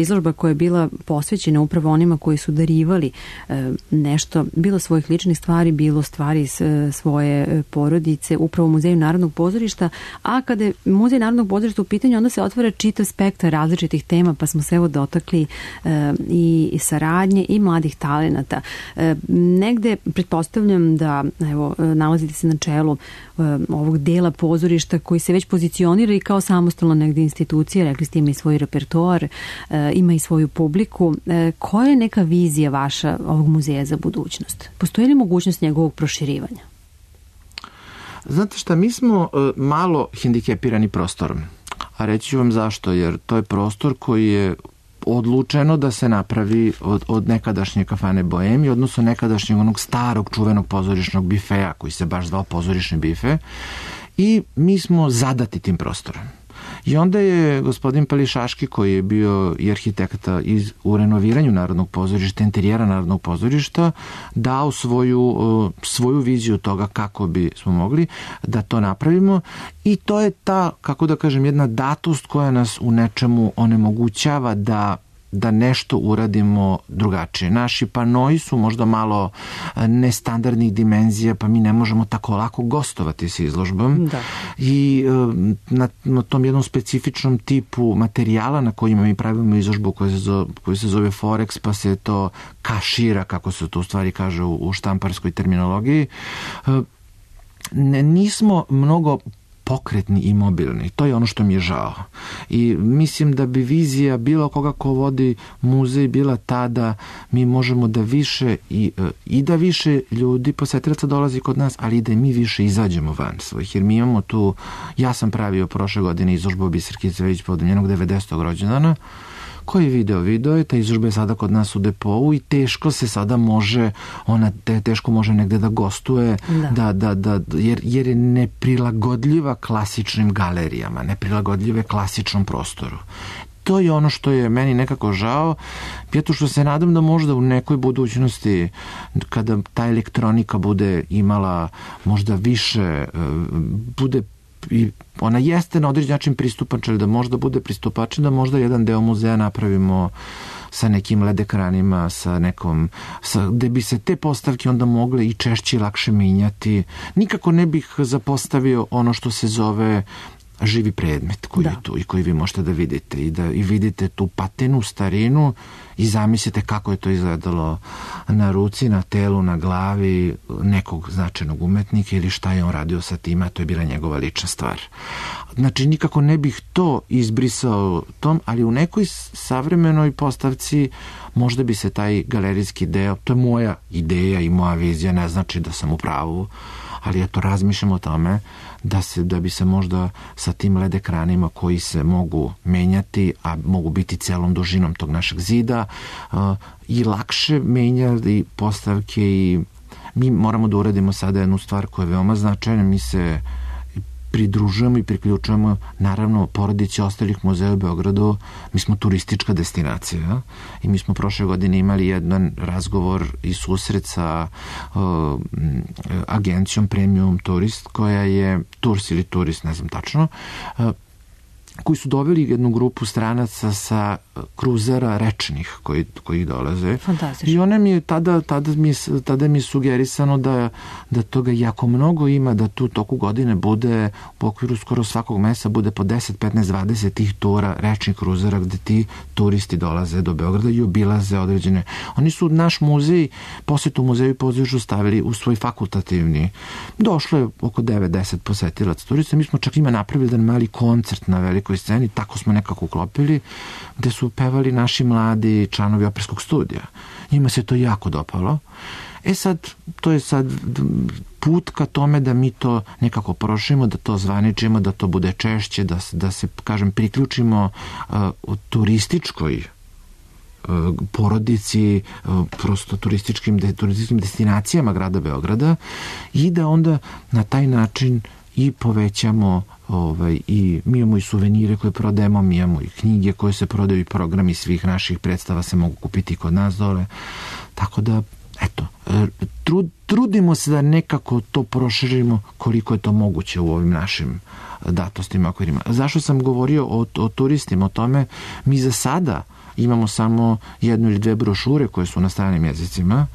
Izložba koja je bila posvećena upravo onima koji su darivali nešto, bilo svojih ličnih stvari, bilo stvari svoje porodice, upravo u Muzeju Narodnog pozorišta. A kada je Muzej Narodnog pozorišta u pitanju, onda se otvara čitav spektar različitih tema, pa smo se evo dotakli i saradnje i mladih talenata. Negde, pretpostavljam da evo, nalazite se na čelu uh, ovog dela pozorišta koji se već pozicionira i kao samostalno negde institucija, rekli ste ima i svoj repertoar, uh, ima i svoju publiku. Uh, koja je neka vizija vaša ovog muzeja za budućnost? Postoji li mogućnost njegovog proširivanja? Znate šta, mi smo uh, malo hendikepirani prostorom, a reći ću vam zašto, jer to je prostor koji je odlučeno da se napravi od, od nekadašnje kafane Boemi, odnosno nekadašnjeg onog starog čuvenog pozorišnog bifeja koji se baš zvao pozorišni bife, i mi smo zadati tim prostorom. I onda je gospodin Pališaški, koji je bio i arhitekta iz, u renoviranju Narodnog pozorišta, interijera Narodnog pozorišta, dao svoju, svoju viziju toga kako bi smo mogli da to napravimo, i to je ta, kako da kažem, jedna datost koja nas u nečemu onemogućava da da nešto uradimo drugačije. Naši panoi su možda malo nestandardnih dimenzija, pa mi ne možemo tako lako gostovati sa izložbom. Da. I na, na tom jednom specifičnom tipu materijala na kojima mi pravimo izložbu koja se zove, koja se zove Forex, pa se to kašira, kako se to u stvari kaže u, u štamparskoj terminologiji. Ne, nismo mnogo pokretni i mobilni. To je ono što mi je žao. I mislim da bi vizija bilo koga ko vodi muzej bila ta da mi možemo da više i, i da više ljudi, posetilaca dolazi kod nas, ali i da mi više izađemo van svojih. Jer mi imamo tu, ja sam pravio prošle godine izložbu Biserke Cvejić povodom njenog devedesetog rođendana. Koji je video? Video je, ta izložba je sada kod nas u depou i teško se sada može, ona te, teško može negde da gostuje, da. Da, da, da, jer, jer je neprilagodljiva klasičnim galerijama, neprilagodljive klasičnom prostoru. To je ono što je meni nekako žao, zato što se nadam da možda u nekoj budućnosti, kada ta elektronika bude imala možda više, bude i ona jeste na određen način pristupačna, da možda bude pristupačna, da možda jedan deo muzeja napravimo sa nekim led ekranima, sa nekom, sa, gde bi se te postavke onda mogle i češće i lakše menjati. Nikako ne bih zapostavio ono što se zove živi predmet koji da. je tu i koji vi možete da vidite i da i vidite tu patenu, starinu i zamislite kako je to izgledalo na ruci, na telu, na glavi nekog značajnog umetnika ili šta je on radio sa tima, to je bila njegova lična stvar. Znači, nikako ne bih to izbrisao tom, ali u nekoj savremenoj postavci možda bi se taj galerijski deo, to je moja ideja i moja vizija, ne znači da sam u pravu, ali eto, razmišljam o tome da, se, da bi se možda sa tim led ekranima koji se mogu menjati, a mogu biti celom dužinom tog našeg zida, uh, i lakše menjati postavke. I mi moramo da uradimo sada jednu stvar koja je veoma značajna. Mi se pridružujemo i priključujemo naravno porodici ostalih muzeja u Beogradu. Mi smo turistička destinacija, ja? I mi smo prošle godine imali jedan razgovor i susret sa uh, agencijom Premium Turist, koja je Tours ili Turist, ne znam tačno, uh, koji su doveli jednu grupu stranaca sa kruzera rečnih koji, koji dolaze. Fantastično. I ona mi je tada, tada, mi je, tada mi je sugerisano da, da toga jako mnogo ima, da tu toku godine bude u okviru skoro svakog mesa bude po deset, petnaest, dvadeset tih tura rečnih kruzera gde ti turisti dolaze do Beograda i obilaze određene. Oni su naš muzej, posjetu muzeju i pozorištu stavili u svoj fakultativni. Došlo je oko devet do deset posetilaca turista. Mi smo čak ima napravili jedan mali koncert na velikoj sceni, tako smo nekako uklopili, gde su pevali naši mladi članovi operskog studija. Njima se to jako dopalo. E sad, to je sad put ka tome da mi to nekako prošimo, da to zvaničimo, da to bude češće, da, da se, kažem, priključimo uh, u turističkoj uh, porodici, uh, prosto turističkim, de, turističkim destinacijama grada Beograda i da onda na taj način i povećamo ovaj, i mi imamo i suvenire koje prodajemo, mi imamo i knjige koje se prodaju i programi svih naših predstava se mogu kupiti kod nas dole. Tako da, eto, Trud, trudimo se da nekako to proširimo koliko je to moguće u ovim našim datostima okvirima. Zašto sam govorio o, o turistima, o tome, mi za sada imamo samo jednu ili dve brošure koje su na stranim jezicima.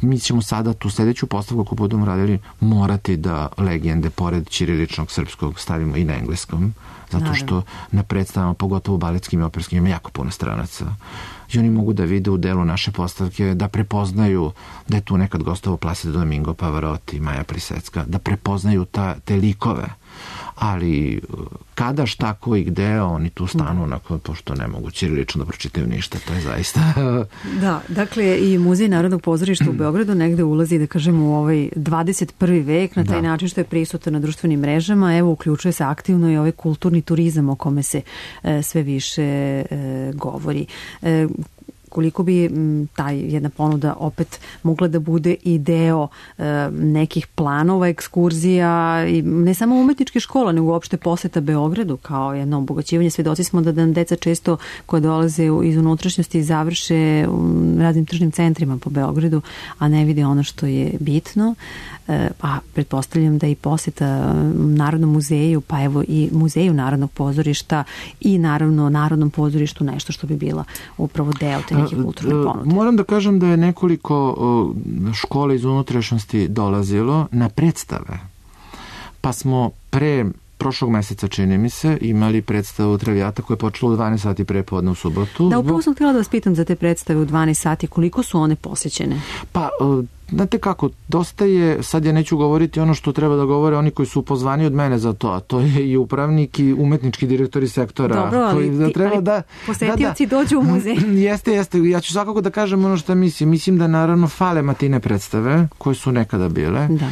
Mi ćemo sada tu sljedeću postavku ako budemo radili morati da legende pored ćiriličnog srpskog stavimo i na engleskom, zato što na predstavama, pogotovo baletskim i operskim, ima jako puno stranaca i oni mogu da vide u delu naše postavke, da prepoznaju da je tu nekad gostovao Placido Domingo, Pavarotti, Maja Prisecka, da prepoznaju ta, te likove. Ali kada, šta, ko i gde, oni tu stanu, onako, pošto ne mogu ćirilično da pročitaju ništa, to je zaista... Da, dakle, i Muzej Narodnog pozorišta u Beogradu negde ulazi, da kažemo, u ovaj dvadeset prvi vek, na taj da. način što je prisutan na društvenim mrežama, evo, uključuje se aktivno i ovaj kulturni turizam o kome se e, sve više e, govori. E, koliko bi m, taj jedna ponuda opet mogla da bude i deo e, nekih planova, ekskurzija, i ne samo umetničke škola, nego uopšte poseta Beogradu kao jedno obogaćivanje. Svedoci smo da nam deca često koje dolaze iz unutrašnjosti završe u raznim tržnim centrima po Beogradu, a ne vide ono što je bitno. E, a pretpostavljam da i poseta Narodnom muzeju, pa evo i Muzeju Narodnog pozorišta i naravno Narodnom pozorištu nešto što bi bila upravo deo te neke kulturne ponude. Moram da kažem da je nekoliko škola iz unutrašnjosti dolazilo na predstave. Pa smo pre prošlog meseca, čini mi se, imali predstavu Traviata koja je počela u dvanaest sati prepodne u subotu. Da, upravo sam htjela da vas pitam za te predstave u dvanaest sati, koliko su one posjećene? Pa, znate kako, dosta je, sad ja neću govoriti ono što treba da govore oni koji su pozvani od mene za to, a to je i upravnik i umetnički direktori sektora. Dobro, ali, koji da treba ali da, posetioci da, da, dođu u muzej. Jeste, jeste. Ja ću svakako da kažem ono što mislim. Mislim da naravno fale matine predstave koje su nekada bile. Da.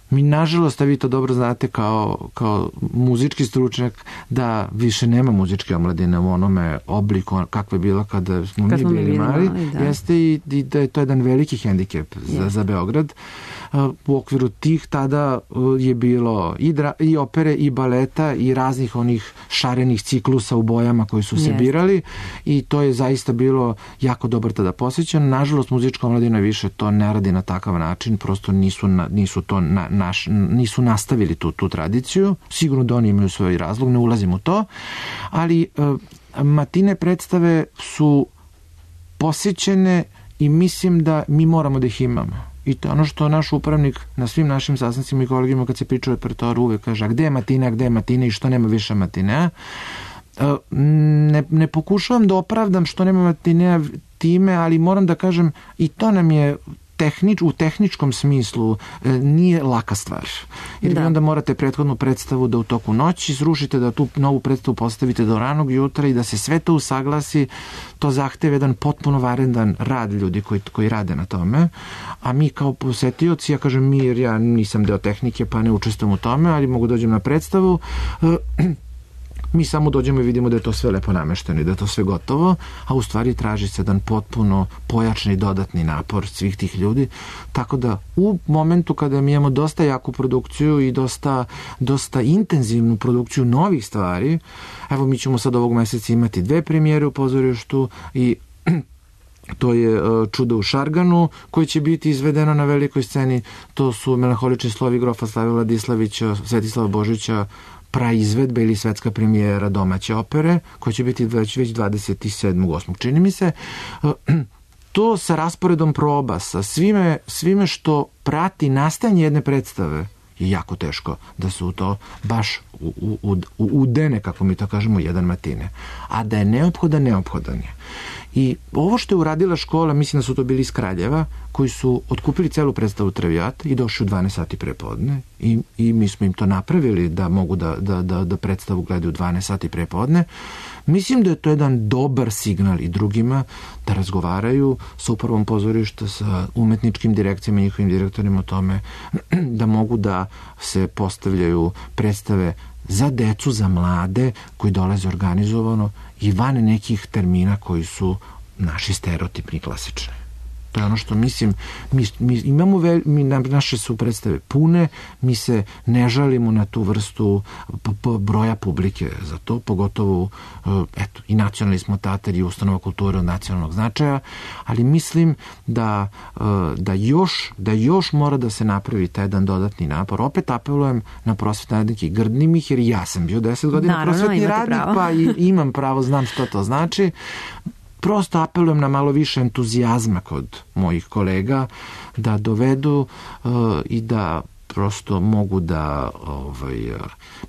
Mi, nažalost, a vi to dobro znate kao, kao muzički stručnjak, da više nema muzičke omladine u onome obliku kakve je bilo kada smo Kad mi bili, bili mali. Da. Jeste i, i da je to jedan veliki hendikep za, za Beograd. U okviru tih tada je bilo i, dra, i opere, i baleta, i raznih onih šarenih ciklusa u bojama koji su se Jeste. birali i to je zaista bilo jako dobro tada posjećano. Nažalost, muzička omladina više to ne radi na takav način, prosto nisu, na, nisu to na, naš, nisu nastavili tu, tu tradiciju. Sigurno da oni imaju svoj razlog, ne ulazim u to, ali uh, matine predstave su posjećene i mislim da mi moramo da ih imamo. I to ono što naš upravnik na svim našim sastancima i kolegima kad se priča o repertoaru uvek kaže, a gde je matine, a gde je matine i što nema više matinea. Ne, ne pokušavam da opravdam što nema matinea time, ali moram da kažem i to nam je tehnič, u tehničkom smislu nije laka stvar. Jer da. vi onda morate prethodnu predstavu da u toku noći srušite, da tu novu predstavu postavite do ranog jutra i da se sve to usaglasi. To zahteva jedan potpuno varendan rad ljudi koji, koji rade na tome. A mi kao posetioci, ja kažem mi jer ja nisam deo tehnike pa ne učestvujem u tome, ali mogu dođem na predstavu. Mi samo dođemo i vidimo da je to sve lepo namešteno i da je to sve gotovo, a u stvari traži se jedan potpuno pojačan i dodatni napor svih tih ljudi. Tako da u momentu kada mi imamo dosta jaku produkciju i dosta, dosta intenzivnu produkciju novih stvari, evo mi ćemo sad ovog meseca imati dve premijere u pozorištu i to je Čudo u Šarganu koje će biti izvedeno na velikoj sceni. To su Melanholični slovi grofa Slave Vladislavića, Svetislava Božića, praizvedba ili svetska premijera domaće opere, koja će biti već, već dvadeset sedmog osmog čini mi se. To sa rasporedom proba, sa svime, svime što prati nastajanje jedne predstave, je jako teško da se u to baš u, u, u, udene, kako mi to kažemo, jedan matine. A da je neophodan, neophodan je. I ovo što je uradila škola, mislim da su to bili iz Kraljeva, koji su otkupili celu predstavu Traviata i došli u dvanaest sati prepodne i, i mi smo im to napravili da mogu da, da, da, da predstavu gledaju u dvanaest sati prepodne. Mislim da je to jedan dobar signal i drugima da razgovaraju sa upravom pozorišta, sa umetničkim direkcijama i njihovim direktorima o tome da mogu da se postavljaju predstave za decu, za mlade koji dolaze organizovano i van nekih termina koji su naši stereotipni klasični. To je ono što mislim, mi, mi imamo vel, mi, naše su predstave pune, mi se ne žalimo na tu vrstu p, p, broja publike za to, pogotovo eto, i nacionalni smo teatar i ustanova kulture od nacionalnog značaja, ali mislim da, da, još, da još mora da se napravi taj jedan dodatni napor. Opet apelujem na prosvetne radnike, grdnim ih, jer ja sam bio deset godina Naravno, prosvetni radnik, pravo. Pa i, imam pravo, znam što to znači. Prosto apelujem na malo više entuzijazma kod mojih kolega da dovedu uh, i da prosto mogu da ovaj, uh,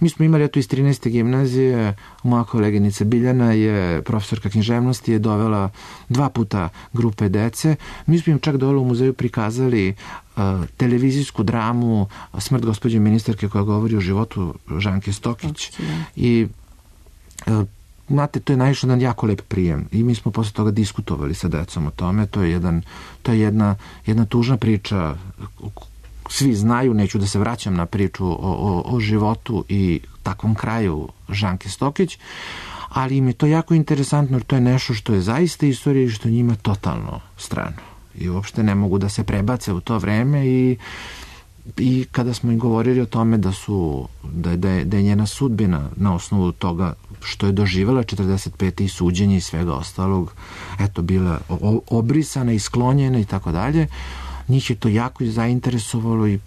mi smo imali eto iz trinaeste gimnazije, moja koleginica Biljana je profesorka književnosti, je dovela dva puta grupe dece. Mi smo im čak dole u muzeju prikazali uh, televizijsku dramu Smrt gospođe ministarke koja govori o životu Žanke Stokić okay. i uh, znate, to je naišlo na jako lep prijem i mi smo posle toga diskutovali sa decom o tome. To je, jedan, to je jedna, jedna tužna priča, svi znaju, neću da se vraćam na priču o, o, o životu i takvom kraju Žanke Stokić, ali im je to jako interesantno jer to je nešto što je zaista istorija i što njima totalno strano i uopšte ne mogu da se prebace u to vreme i i kada smo im govorili o tome da su da, da, je, da je njena sudbina na osnovu toga što je doživjela četrdeset pete i suđenje i svega ostalog, eto, bila obrisana i sklonjena i tako dalje, njih je to jako zainteresovalo i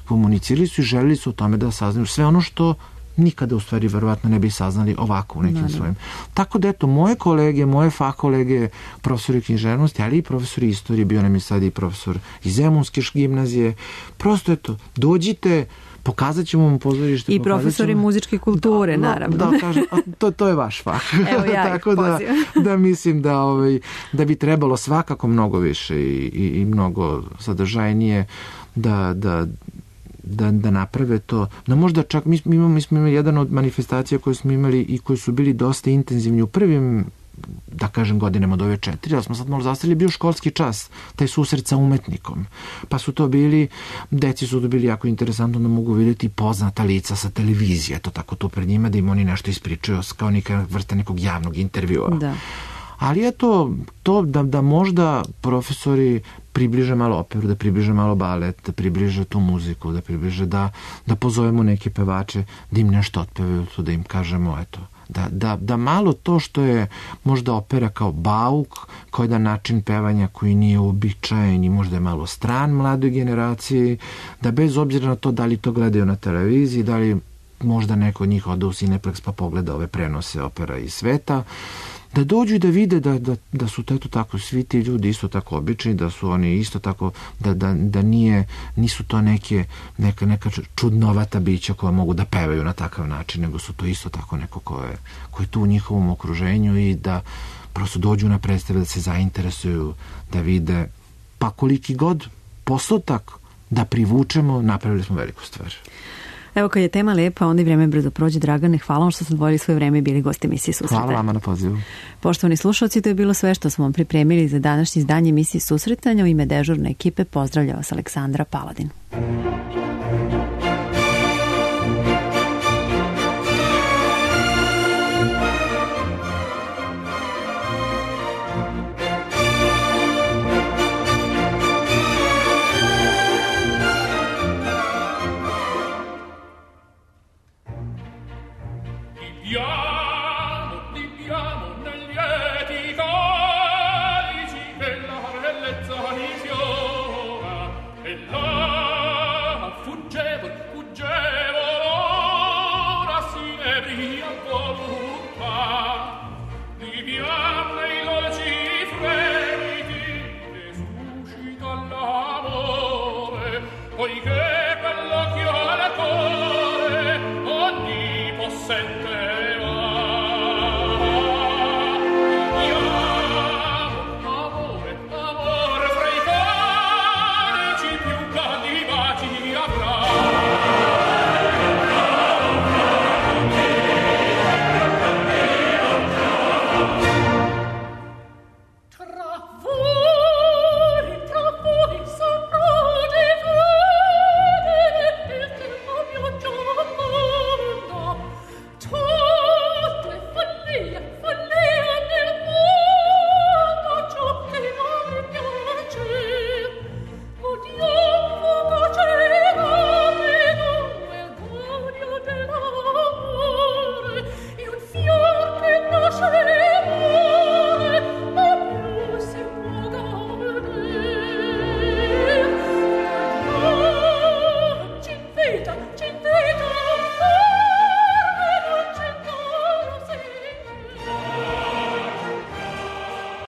komunicirali su i želili su o tome da saznaju sve ono što nikada u stvari verovatno ne bi saznali ovako u nekim svojim. Tako da eto, moje kolege, moje fah kolege, profesori književnosti, ali i profesori istorije, bio nam je sad i profesor iz Zemunske gimnazije, prosto eto, dođite, pokazat ćemo vam pozorište. I profesori ćemo... muzičke kulture, da, naravno. Da, kažem, to, to je vaš fah. Evo ja tako da, da mislim da, ovaj, da bi trebalo svakako mnogo više i, i, i mnogo sadržajnije da, da Da, da naprave to, da možda čak mi, mi, imamo, mi smo imali jedan od manifestacija koje smo imali i koji su bili dosta intenzivni u prvim, da kažem, godinama od ove četiri, ali smo sad malo zastavili, bio školski čas, taj susret sa umetnikom, pa su to bili, deci su to bili jako interesantno da mogu vidjeti poznata lica sa televizije, to tako to pred njima, da im oni nešto ispričaju kao neka vrsta nekog javnog intervjua. Da. Ali eto, to da, da možda profesori približe malo operu, da približe malo balet, da približe tu muziku, da približe da, da pozovemo neke pevače, da im nešto otpevaju, da im kažemo, eto, da, da, da malo to što je možda opera kao bauk, kao jedan način pevanja koji nije uobičajen i možda je malo stran mladoj generaciji, da bez obzira na to da li to gledaju na televiziji, da li možda neko od njih ode u Cineplex pa pogleda ove prenose opera iz sveta, da dođu i da vide da, da, da su eto tako svi ti ljudi isto tako obični, da su oni isto tako, da, da, da nije, nisu to neke, neka, neka čudnovata bića koja mogu da pevaju na takav način, nego su to isto tako neko ko je, ko je tu u njihovom okruženju i da prosto dođu na predstave, da se zainteresuju, da vide, pa koliki god postotak da privučemo, napravili smo veliku stvar. Evo, kad je tema lepa, onda i vreme brzo prođe. Dragane, hvala vam što ste odvojili svoje vreme i bili gosti emisije Susreta. Hvala vama na pozivu. Poštovani slušalci, to je bilo sve što smo vam pripremili za današnje izdanje emisije Susretanja. U ime dežurne ekipe pozdravlja vas Aleksandra Paladin. Poiché per l'occhio al cuore ogni possente